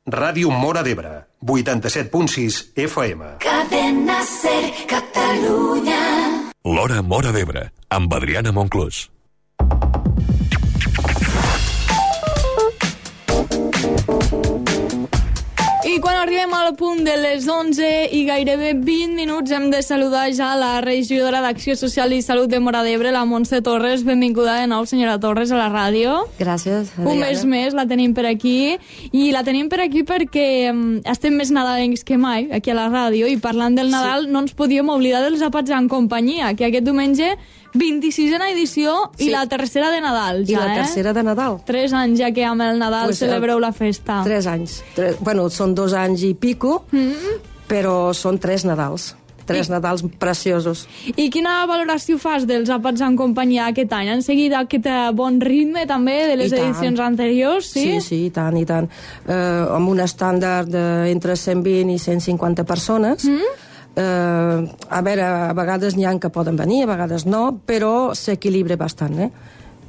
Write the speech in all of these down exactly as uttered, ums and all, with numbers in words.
Ràdio Móra d'Ebre, vuitanta-set punt sis F M. Cadena Ser, Catalunya. L'Hora Móra d'Ebre, amb Adriana Monclús. I quan arribem al punt de les onze i gairebé vint minuts hem de saludar ja la regidora d'Acció Social i Salut de Móra d'Ebre, la Montse Torres. Benvinguda de nou, senyora Torres, a la ràdio. Gràcies, Adriana. Un mes més la tenim per aquí. I la tenim per aquí perquè um, estem més nadalencs que mai aquí a la ràdio, i parlant del Nadal sí. no ens podíem oblidar dels Àpats en Companyia, que aquest diumenge vint-i-sisena edició i sí. la tercera de Nadal, ja, I la eh? tercera de Nadal. Tres anys ja que amb el Nadal pues, celebreu la festa. Tres anys. Tres, bueno, són dos anys i pico, mm-hmm. però són tres Nadals. Tres I... Nadals preciosos. I quina valoració fas dels Àpats en Companyia aquest any? Han seguit aquest bon ritme també de les edicions anteriors? Sí, sí, sí, i tant, i tant. Uh, amb un estàndard d'entre cent vint i cent cinquanta persones. Mm-hmm. Uh, a veure, a vegades n'hi ha que poden venir, a vegades no, però s'equilibra bastant, eh?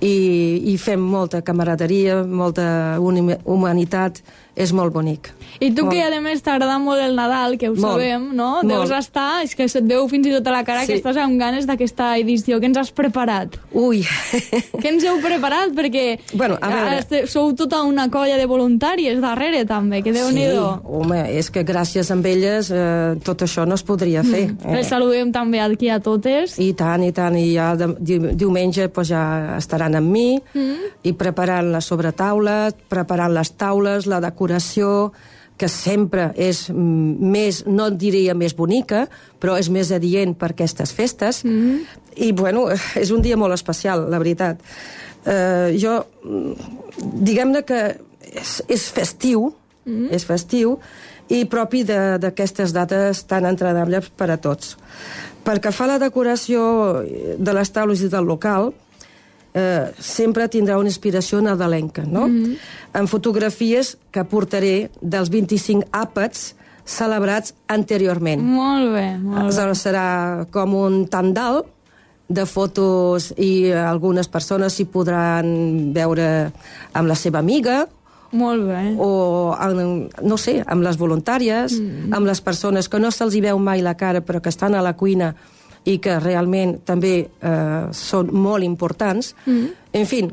I, i fem molta camaraderia, molta humanitat, és molt bonic. I tu molt. Que a més t'agrada molt el Nadal, que ho molt. sabem, no? Molt. Deus estar, és que se't veu fins i tot a la cara sí. que estàs amb ganes d'aquesta edició. Què ens has preparat? Ui! Què ens heu preparat? Perquè bueno, a veure... sou tota una colla de voluntàries darrere, també, que Déu-n'hi-do. Sí, home, és que gràcies a elles eh, tot això no es podria fer. Mm. Eh? Les saludem també aquí a totes. I tant, i tant, i ja de, di, diumenge pues, ja estaran amb mi, mm. i preparant la sobretaula, preparant les taules, la decoració, que sempre és més, no diria més bonica, però és més adient per aquestes festes. Mm. I, bueno, és un dia molt especial, la veritat. Uh, jo, diguem-ne que és, és festiu, mm. és festiu, i propi d'aquestes dates tan agradables per a tots. Pel que fa a la decoració de les taules i del local, eh, sempre tindrà una inspiració nadalenca, no? Mm-hmm. En fotografies que portaré dels vint-i-cinc àpats celebrats anteriorment. Molt bé, molt bé. Serà com un tandal de fotos i algunes persones s'hi podran veure amb la seva amiga, molt bé. O, no sé, amb les voluntàries, mm. amb les persones que no se'ls hi veu mai la cara però que estan a la cuina i que realment també eh, són molt importants. Mm. En fi,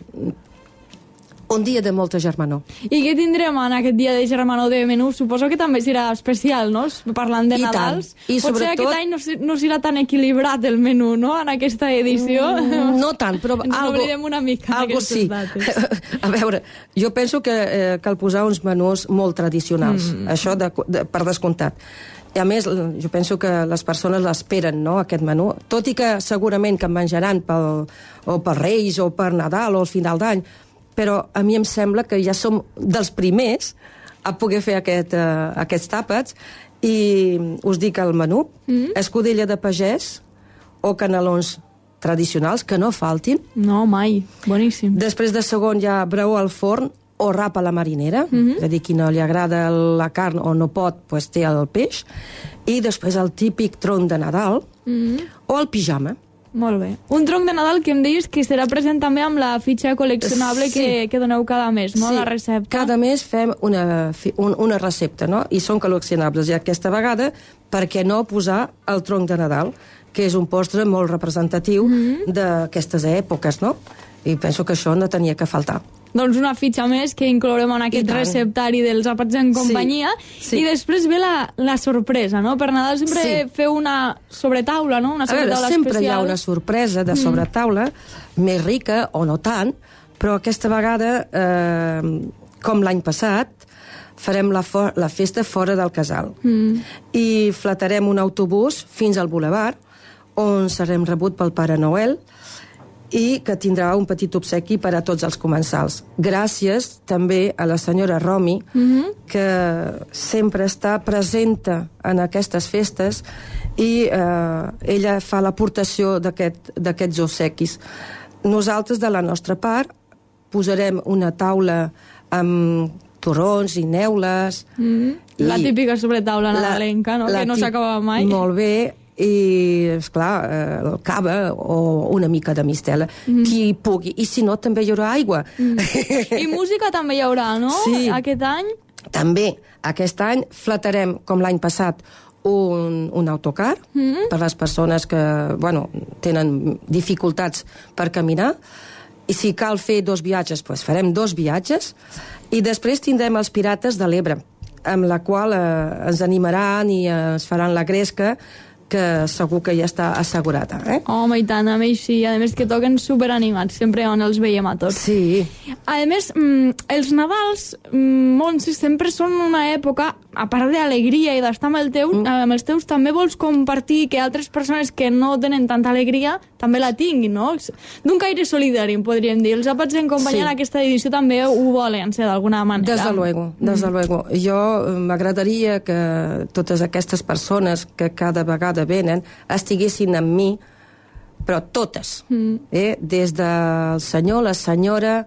un dia de molta germanor. I què tindrem en aquest dia de germanor de menú? Suposo que també serà especial, no? Parlant de I Nadals. Tant. I Potser sobretot... aquest any no, no serà tan equilibrat el menú, no?, en aquesta edició. Mm, no tant, però... Ens algo, oblidem una mica algo d'aquestes sí. dates. A veure, jo penso que eh, cal posar uns menús molt tradicionals. Mm. Això de, de, per descomptat. I a més, jo penso que les persones l'esperen, no?, aquest menú. Tot i que segurament que en menjaran pel, o per Reis o per Nadal o al final d'any, però a mi em sembla que ja som dels primers a poder fer aquest, uh, aquests àpats, i us dic el menú. Mm. Escudella de pagès o canelons tradicionals, que no faltin. No, mai. Boníssim. Després de segon ja breu al forn o rap a la marinera, mm-hmm. és a dir, qui no li agrada la carn o no pot, pues té el peix. I després el típic tronc de Nadal, mm-hmm. o el pijama. Molt bé. Un tronc de Nadal que em deies que serà present també amb la fitxa col·leccionable sí. que, que doneu cada mes, no? Sí. La recepta. Cada mes fem una, un, una recepta, no? I són col·leccionables. I aquesta vegada, per què no posar el tronc de Nadal, que és un postre molt representatiu mm-hmm. d'aquestes èpoques, no? I penso que això no tenia que faltar. Doncs una fitxa més que inclourem en aquest receptari dels àpats en companyia. Sí, sí. I després ve la, la sorpresa, no? Per Nadal sempre sí. feu una sobretaula, no? Una sobretaula a veure, sempre especial. Hi ha una sorpresa de sobretaula, mm. més rica o no tant, però aquesta vegada, eh, com l'any passat, farem la, la festa fora del casal. Mm. I flatarem un autobús fins al Boulevard, on serem rebut pel Pare Noel, i que tindrà un petit obsequi per a tots els comensals. Gràcies també a la senyora Romi, mm-hmm. que sempre està presenta en aquestes festes, i eh, ella fa l'aportació d'aquest, d'aquests obsequis. Nosaltres, de la nostra part, posarem una taula amb torrons i neules. Mm-hmm. La i típica sobretaula nadalenca, no? Que no s'acaba mai. Molt bé. I, esclar, eh, el cava o una mica de mistela, mm. qui pugui. I si no, també hi haurà aigua. Mm. I música també hi haurà, no? Sí. Aquest any? També aquest any flatarem, com l'any passat, un, un autocar mm-hmm. per les persones que bueno, tenen dificultats per caminar, i si cal fer dos viatges, doncs farem dos viatges, i després tindrem els Pirates de l'Ebre, amb la qual eh, ens animaran i eh, es faran la gresca, que segur que ja està assegurada. Eh? Home, i tant, a més sí. A més que toquen superanimats, sempre on els veiem a tots. Sí. A més, mm, els Nadals, mm, Montse, sempre són una època, a part d'alegria i d'estar amb, el teu, mm. amb els teus, també vols compartir que altres persones que no tenen tanta alegria també la tinguin, no? D'un caire solidari, podríem dir. Els àpats en companyia sí. en aquesta edició també ho volen ser d'alguna manera. Desde luego, desde mm. luego. Jo m'agradaria que totes aquestes persones que cada vegada venen, estiguessin amb mi, però totes, mm. eh? Des del senyor, la senyora,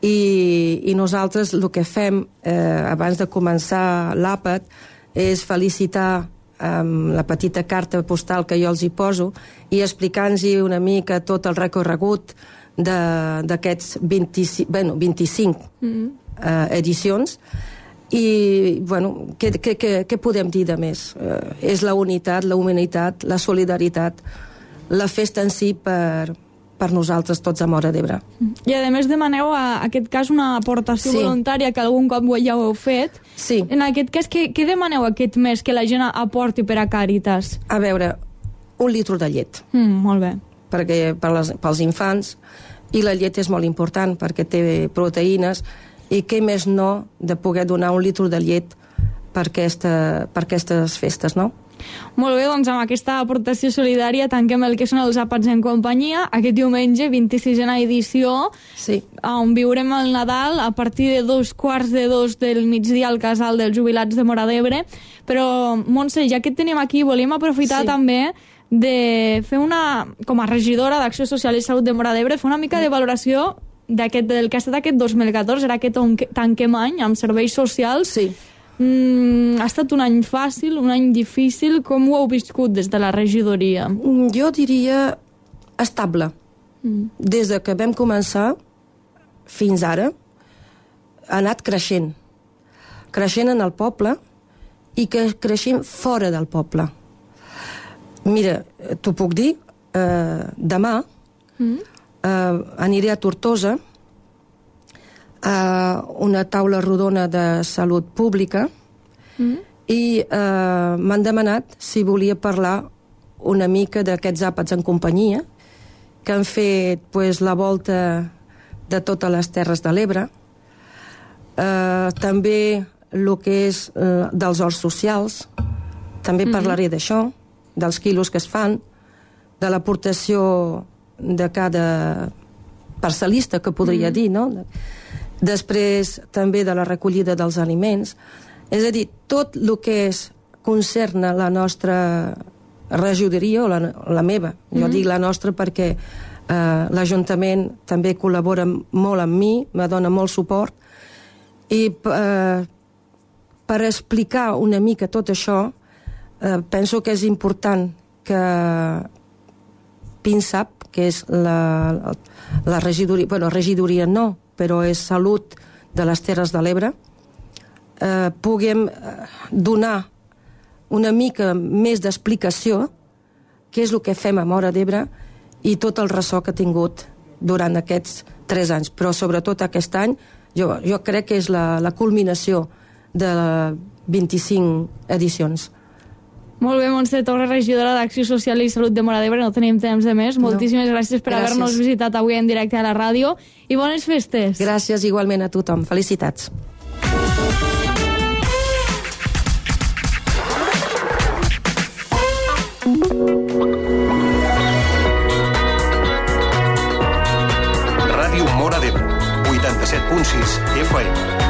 i, i nosaltres el que fem eh, abans de començar l'àpat és felicitar amb la petita carta postal que jo els hi poso i explicant-los una mica tot el recorregut d'aquests vint-i-cinc, bueno, vint-i-cinc mm. eh, edicions. I, bueno, què, què, què, què podem dir de més? Eh, és la unitat, la humanitat, la solidaritat, la festa en si per, per nosaltres tots a Móra d'Ebre. I a més demaneu, a aquest cas, una aportació sí. voluntària que algun cop ja ho heu fet. Sí. En aquest cas, què, què demaneu aquest mes que la gent aporti per a Càritas? A veure, un litre de llet. Mm, molt bé. Perquè per les, pels infants, i la llet és molt important perquè té proteïnes, i què més no de poder donar un litre de llet per, aquesta, per aquestes festes, no? Molt bé, doncs amb aquesta aportació solidària tanquem el que són els àpats en companyia aquest diumenge, vint-i-sisena edició, sí. on viurem el Nadal a partir de dos quarts de dos del migdia al casal dels jubilats de Móra d'Ebre. Però, Montse, ja que et tenim aquí, volíem aprofitar sí. també de fer una, com a regidora d'Acció Social i Salut de Móra d'Ebre, fer una mica de valoració d'aquest, del que ha estat aquest dos mil catorze, era aquest on tanquem any amb serveis socials. Sí. Mm, ha estat un any fàcil, un any difícil. Com ho heu viscut des de la regidoria? Jo diria estable. Mm. Des de que vam començar fins ara ha anat creixent. Creixent en el poble i que creixent fora del poble. Mira, t'ho puc dir, eh, demà mm. Uh, aniré a Tortosa a una taula rodona de salut pública mm. i uh, m'han demanat si volia parlar una mica d'aquests àpats en companyia que han fet pues, la volta de totes les Terres de l'Ebre, uh, també el que és uh, dels horts socials, també mm-hmm. parlaré d'això, dels quilos que es fan, de l'aportació de cada parcel·lista, que podria mm. dir, no? Després també de la recollida dels aliments. És a dir, tot el que és concerna la nostra regidoria, o la, la meva, mm. jo dic la nostra perquè eh, l'Ajuntament també col·labora molt amb mi, me dona molt suport, i eh, per explicar una mica tot això, eh, penso que és important que PINSAP, que és la, la regidoria, bueno, regidoria no, però és Salut de les Terres de l'Ebre, eh, puguem donar una mica més d'explicació què és el que fem a Móra d'Ebre i tot el ressò que ha tingut durant aquests tres anys. Però sobretot aquest any, jo, jo crec que és la, la culminació de vint-i-cinc edicions. Molt bé, Montse Torres, regidora d'Acció Social i Salut de Móra d'Ebre. No tenim temps de més. No. Moltíssimes gràcies per haver-nos visitat avui en directe a la ràdio i bones festes. Gràcies igualment a tothom. Felicitats. Ràdio Móra d'Ebre, vuitanta-set punt sis F M.